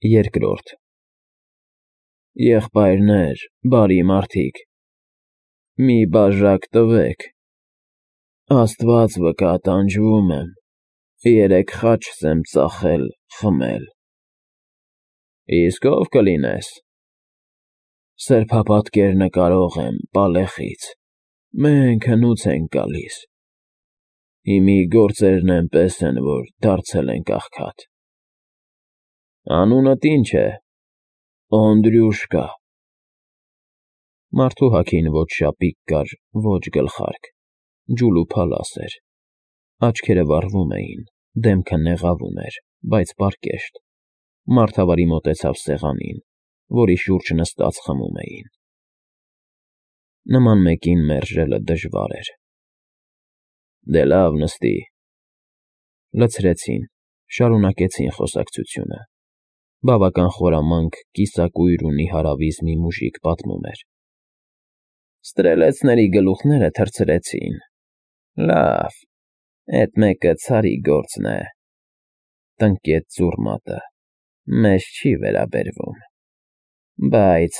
Երկրորդ Եղբայրներ, բարի մարդիկ, մի բաժակ տվեք, Աստված վկա, տանջվում եմ, 3 խաչ եմ ծախել, խմել։ Իսկ ով կլինես։ Սրբապատկեր նկարող եմ, Պալեխից, մենք հնուց ենք գալիս։ Հիմի գործերն էնպես են, որ դարձել ենք աղքատ։ Անունդ ի՞նչ է։ Օնդրյուշկա։ Մարդու հագին ոչ շապիկ կար, ոչ գլխարկ, ջուլուփալաս էր, աչքերը վառվում էին, դեմքը նեղավում էր, բայց պարկեշտ, մարդավարի մոտեցավ սեղանին, որի շուրջ նստած խմում էին։ Նման մեկին մերժելը դժվար էր։ Դե լավ, նստի։ Լցրեցին, շարունակեցին խոսակցությունը։ Բավական խորամանկ, կիսակույր ու նիհարավիզ մի մուժիկ պատմում էր։ Ստրելեցների գլուխները թռցրեցին։ Լավ, էդ մեկը ցարի գործն է։ Տնկեց ծուռ մատը։ Մեզ չի վերաբերվում։ Բայց…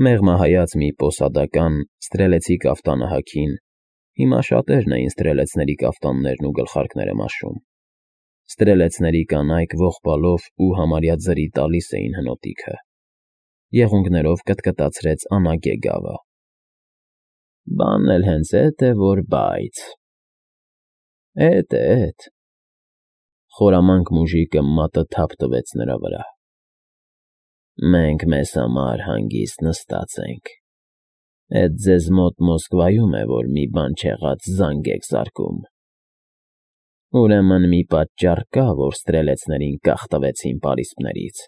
Մեղմահայաց մի պոսադական ստրելեցի կաֆտանը հագին, հիմա շատերն էին ստրելեցների կաֆտաններն ու գլխարկները մաշում։ Ստրելեցների կանայք ողբալով ու համարյա ձրի տալիս էին հնոտիքը։ Եղունգներով կտկտացրեց անագե գավը։ Բանն էլ հենց էդ է, որ բայց… Էդ է, էդ… Խորամանկ մուժիկը մատը թափ տվեց նրա վրա։ Մենք մեզ համար հանգիստ նստած ենք։ Էդ ձեզ մոտ Մոսկվայում է, որ մի բան չեղած զանգ եք զարկում։ Ուրեմն մի պատճառ կա, որ ստրելեցներին կախ տվեցին պարիսպներից,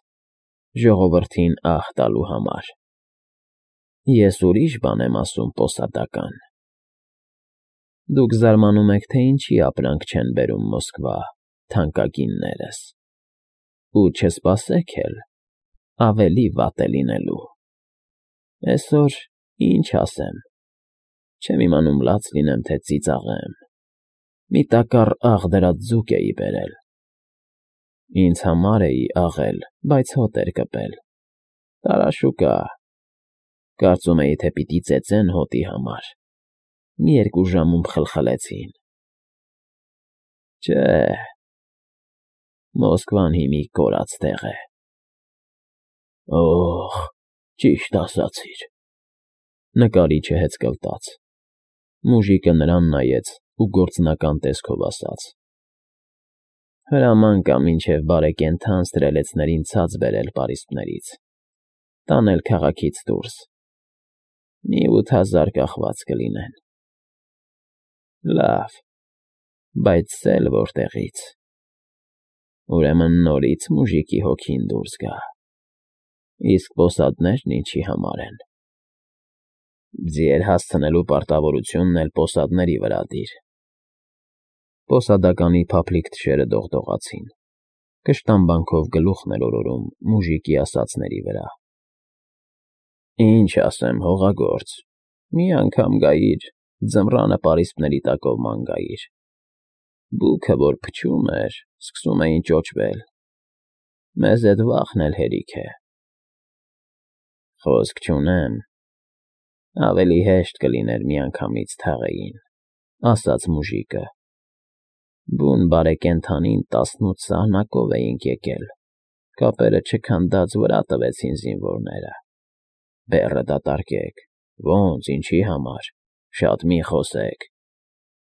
ժողովրդին ահ տալու համար։ Ես ուրիշ բան եմ ասում, պոսադական։ Դուք զարմանում եք, թե ինչի ապրանք չեն բերում Մոսկվա, թանկագիններս։ Ու չսպասեք էլ, ավելի վատ է լինելու։ Էսօր ինչ ասեմ, չեմ իմանում լաց լինեմ, թե ծիծաղեմ։ Մի տակառ աղ դրած ձուկ էի բերել։ Ինձ համար էի աղել, բայց հոտ էր կպել։ Տարաշուկա։ Կարծում էի, թե պիտի ծեծեն հոտի համար։ Մի 2 ժամում խլխլեցին։ Չէ, Մոսկվան հիմի կորած տեղ է։ Օհ, ճիշտ ասացիր։ Նկարիչը հեծկլտաց։ Մուժիկը նրան նայեց ու գործնական տեսքով ասաց. Հրաման կա մինչև բարեկենդան ստրելեցներին ցած բերել պարիսպներից, տանել քաղաքից դուրս։ Մի 8000 կախված կլինեն։ Լավ, բայց սել որտեղից։ Ուրեմն նորից մուժիկի հոգին դուրս գա։ Իսկ պոսադներն ինչի համար են։ Ձիեր հասցնելու պարտավորությունն էլ պոսադների վրա դիր։ Պոսադականի փափլիկ թշերը դողդողացին։ Կշտամբանքով գլուխն էր օրորում մուժիկի ասածների վրա։ Ինչ ասեմ, հողագործ, մի անգամ գայիր, ձմռանը պարիսպների տակով ման գայիր։ Բուքը, որ փչում էր, սկսում էին ճոճվել։ Մեզ էդ վախն էլ հերիք է։ Խոսք չունեմ, ավելի հեշտ կլիներ միանգամից թաղեին, ասաց մուժիկը։ Բուն բարեկենդանին 18 սահնակով էինք եկել, կապերը չքանդած վրա տվեցին զինվորները։ Բեռը դատարկեք, ոնց, ինչի համար, շատ մի խոսեք։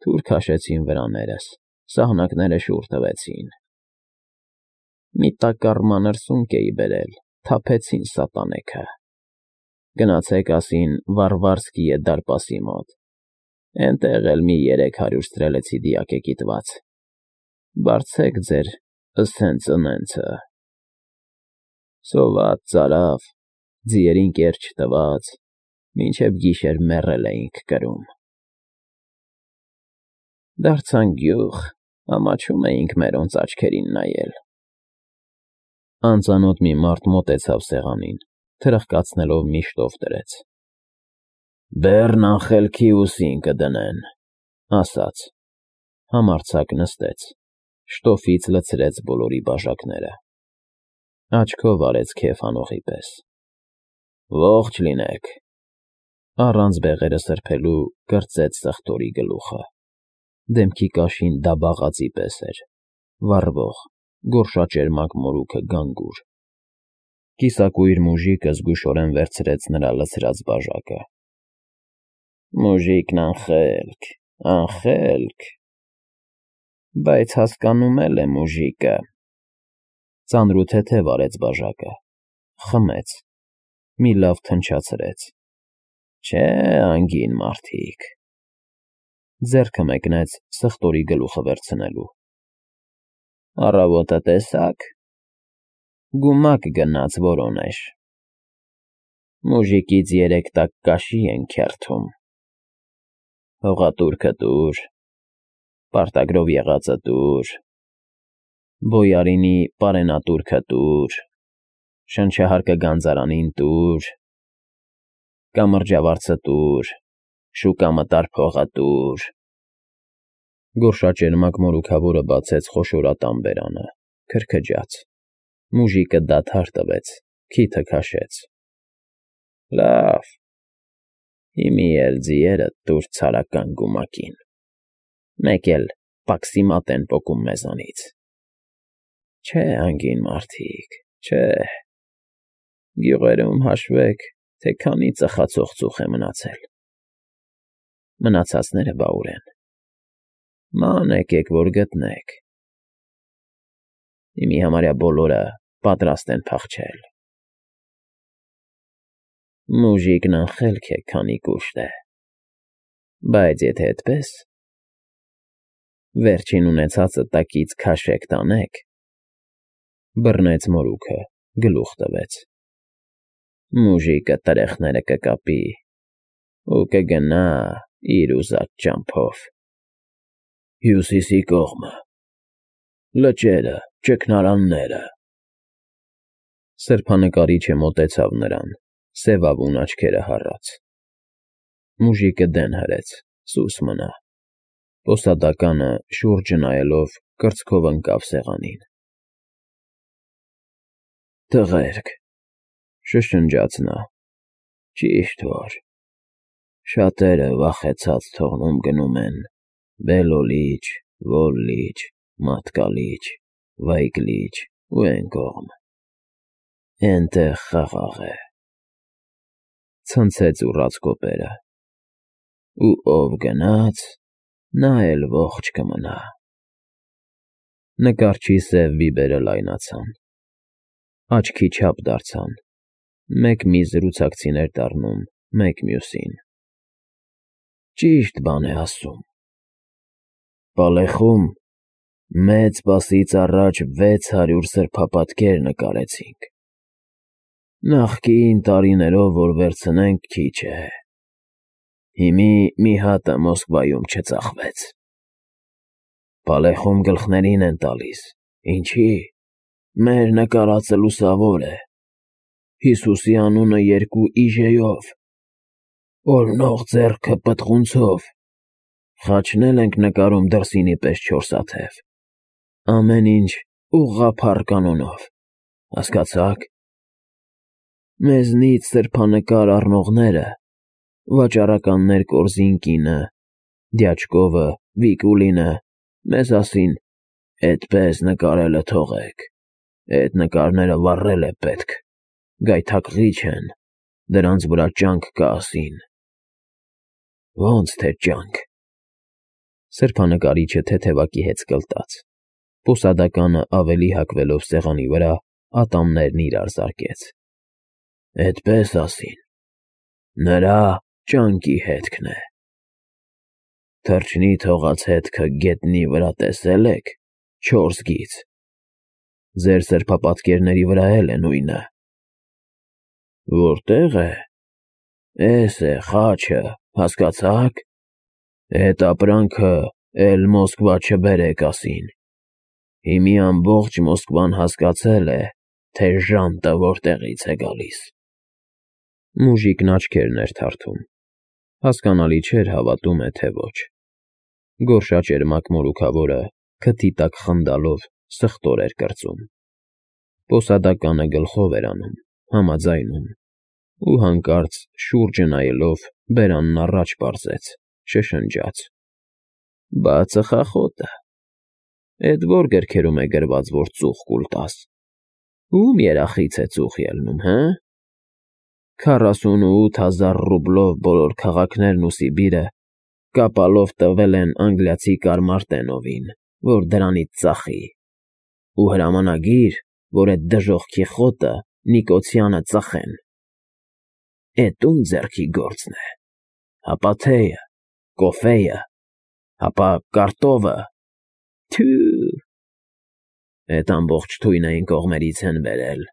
Թուր քաշեցին վրաներս, սահնակները շուռ տվեցին։ Մի տակառ մանր սունկ էի բերել, թափեցին սատանեքը։ Գնացեք ասին Վարվարսկիե դարպասի մոտ, էնտեղ էլ մի 300 ստրելեցի դիակ է կիտված։ Բարձեք ձեր սենց֊ընենցը։ Սոված ծարավ, ձիերին կեր չտված, մինչև գիշեր մեռել էինք կրում։ Դարձանք գյուղ, ամաչում էինք մերոնց աչքերին նայել։ Անծանոթ մի մարդ մոտեցավ սեղանին, թրխկացնելով մի շտով դրեց։ Բեռն անխելքի ուսին կդնեն, ասաց։ Համարձակ նստեց, շտոֆից լցրեց բոլորի բաժակները։ Աչքով արեց քեֆ անողի պես։ Ողջ լինեք։ Առանց բեղերը սրբելու կրծեց սխտորի գլուխը։ Դեմքի կաշին դաբաղածի պես էր, վառվող, գորշաճերմակ մորուքը գանգուր։ Կիսակույր մուժիկը զգուշորեն վերցրեց նրա լցրած բաժակը։ Մուժիկն անխելք, անխելք։ Բայց հասկանում է մուժիկը։ Ծանրութեթև արեց բաժակը, խմեց, մի լավ թնչացրեց։ Չէ, անգին մարդիկ։ Ձեռքը մեկնեց սխտորի գլուխը վերցնելու։ Առավոտը տեսա՞ք։ Գումակ գնաց որոնեշ։ Մուժիկից 3 տակ կաշի են քերթում։ Հողատուրքը տուր, պարտագրով եղածը տուր, բոյարինի պարենատուրքը տուր, շնչահարկը գանձարանին տուր, կամրջավարձը տուր, շուկամտար փողը տուր։ Գորշաճերմակ մորուքավորը բացեց խոշորատան բերանը, քրքջաց։ Մուժիկը դադար տվեց, քիթը քաշեց։ Լավ, հիմի էլ ձիերը տուր ցարական գումակին։ Մեկ էլ պաքսիմատ են պոկում մեզանից։ Չէ, անգին մարդիկ, չէ։ Գյուղերում հաշվեք, թե քանի ծխացող ծուխ է մնացել։ Մնացածները բա ուր են։ Ման եկեք, որ գտնեք։ Հիմի համարյա բոլորը պատրաստ են փախչել։ Մուժիկն անխելք է, քանի կուշտ է։ Բայց եթե այդպես, վերջին ունեցածը տակից քաշեք տանեք։ Բռնեց մորուքը, գլուխ տվեց։ Մուժիկը տրեխները կկապի ու կգնա իր ուզած ճամփով։ Հյուսիսի կողմը, լճերը, ճգնարանները։ Սրբանկարիչը մոտեցավ նրան, սևավուն աչքերը հառած։ Մուժիկը դեն հրեց, սուս մնա։ Պոսադականը շուրջը նայելով կրծքով ընկավ սեղանին։ Տղերք, շշնջաց նա, ճիշտ որ շատերը վախեցած թողնում գնում են Բելոլիճ, Ոլլիճ, Մատկալիճ, Վայգլիճ ու էն կողմ։ Էնտեղ խաղաղ է։ Ցնցեց ուռած կոպերը։ Ու ով գնաց, նա էլ ողջ կմնա։ Նկարչի սև բիբերը լայնացան, աչքի չափ դարձան, մեկ մի զրուցակցիներ դառնում, մեկ մյուսին։ Ճիշտ բան է ասում։ Պալեխում մեծ պասից առաջ 600 սրբապատկեր նկարեցինք։ Նախկին տարիներով որ վերցնենք քիչ է։ Հիմի մի հատը Մոսկվայում չծախվեց։ Պալեխում գլխներին են տալիս, ինչի՞։ Մեր նկարածը լուսավոր է։ Հիսուսի անունը 2 իժեյով, օրնող ձեռքը պտղունցով, խաչնել ենք նկարում դրսինի պես 4 աթև, ամեն ինչ ուղղափառ կանոնով, հասկացա՞ք։ Մեզնից սրբանկար առնողները, վաճառականներ Կորզինկինը, Դյաչկովը, Վիկուլինը, մեզ ասին, էդպես նկարելը թողեք, էդ նկարները վառել է պետք, գայթակղիչ են, դրանց վրա ճանք կա ասին։ Ոնց թե ճանք։ Սրբանկարիչը թեթևակի հետ սկլտաց։ Պոսադականը ավելի հակվելով սեղանի վրա ատամներն իրար զարկեց։ Էդպես ասին, նրա ճանկի հետքն է։ Թրջնի թողած հետքը գետնի վրա տեսել եք, 4 գիծ։ Ձեր սրբապատկերների վրա էլ է նույնը։ Որտե՞ղ է։ Էս է խաչը, հասկացա՞ք։ Էդ ապրանքը էլ Մոսկվա չբերեք ասին։ Հիմի ամբողջ Մոսկվան հասկացել է, թե ժանտը որտեղից է գալիս։ Մուժիկն աչքերն էր թարթում։ Հասկանալի չէր հավատում է, թե ոչ։ Գորշաճերմակ մորուքավորը քթի տակ խնդալով սխտոր էր կրծում։ Պոսադականը գլխով էր անում, համաձայնում, ու հանկարծ շուրջը նայելով բերանն առաջ պարզեց, շշնջաց. «Բա ծխախոտը… Էդ ո՞ր գրքերում է գրված, որ ծուխ կուլ տաս… Ո՞ւմ երախից է ծուխ ելնում, հը… 48,000 ռուբլով բոլոր քաղաքներն ու Սիբիրը կապալով տվել են անգլիացի կարմարտենովին, որ դրանից ծախի, ու հրամանագիր, որ էդ դժոխքի խոտը Նիկոցյանը ծխեն… Էդ ո՞ւմ ձեռքի գործն է… Հապա թեյը, կոֆեյը, հապա կարտովը… Թյո՜ւ… Էդ ամբողջ թույնը այն կողմերից են բերել,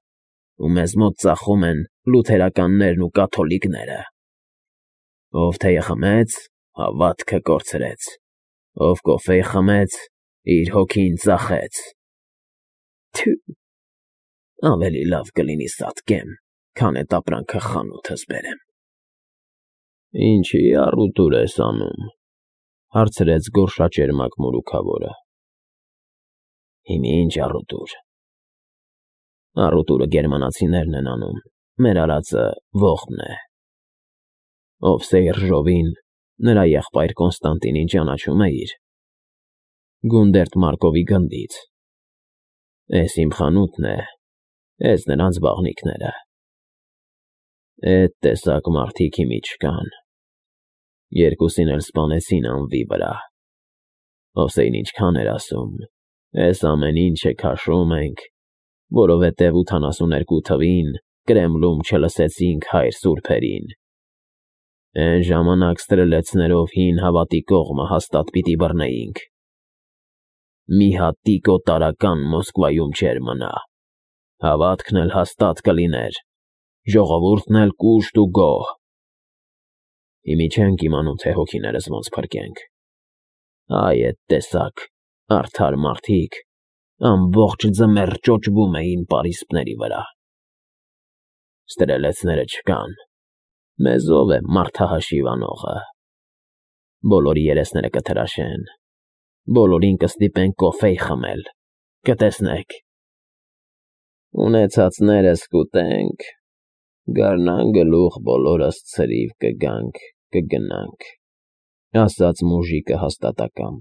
ու մեզ մոտ ծախում են լութերականներն ու կաթոլիկները… Ով թեյը խմեց, հավատքը կորցրեց, ով կոֆեյ խմեց, իր հոգին ծախեց… Թյո՜ւ… Ավելի լավ կլինի սատկեմ, քան էդ ապրանքը խանութս բերեմ»։ «Ինչի՞ առուտուր ես անում,֊ հարցրեց գորշաճերմակ մորուքավորը։ «Հիմա ի՞նչ առուտուր… Առուտուրը գերմանացիներն են անում, մեր արածը ողբն է… Ով Սեյռժովին, նրա եղբայր Կոնստանտինին ճանաչում էիր… Գունդերտ Մարկովի գնդից… Էս իմ խանութն է, էս նրանց բաղնիքները… Էդ տեսակ մարդիկ հիմա չկան… Երկուսին էլ սպանեցին անվի վրա… Հոսեյն ինչքան էր ասում. «Էս ամեն ինչը քաշում ենք, որովհետև 82 թվին Կրեմլում չլսեցինք հայր սուրբերին… Էն ժամանակ ստրելեցներով հին հավատի կողմը հաստատ պիտի բռնեինք… Մի հատ տիկո տարրական Մոսկվայում չէր մնա… Հավատքն էլ հաստատ կլիներ, ժողովուրդն էլ կուշտ ու գոհ… Հիմա չենք իմանում, թե հոգիներս ոնց փրկենք… Այ էդ տեսակ արդար մարդիկ ամբողջ ձմեռ ճոճվում էին պարիսպների վրա… Ստրելեցները չկան… Մեզ ո՞վ է մարդահաշիվ անողը… Բոլորի երեսները կթրաշեն… Բոլորին կստիպեն կոֆեյ խմել… Կտեսնեք… Ունեցածներս կուտենք, գարնան գլուխ բոլորս ցրիվ կգանք, կգնանք…» ասաց մուժիկը հաստատակամ։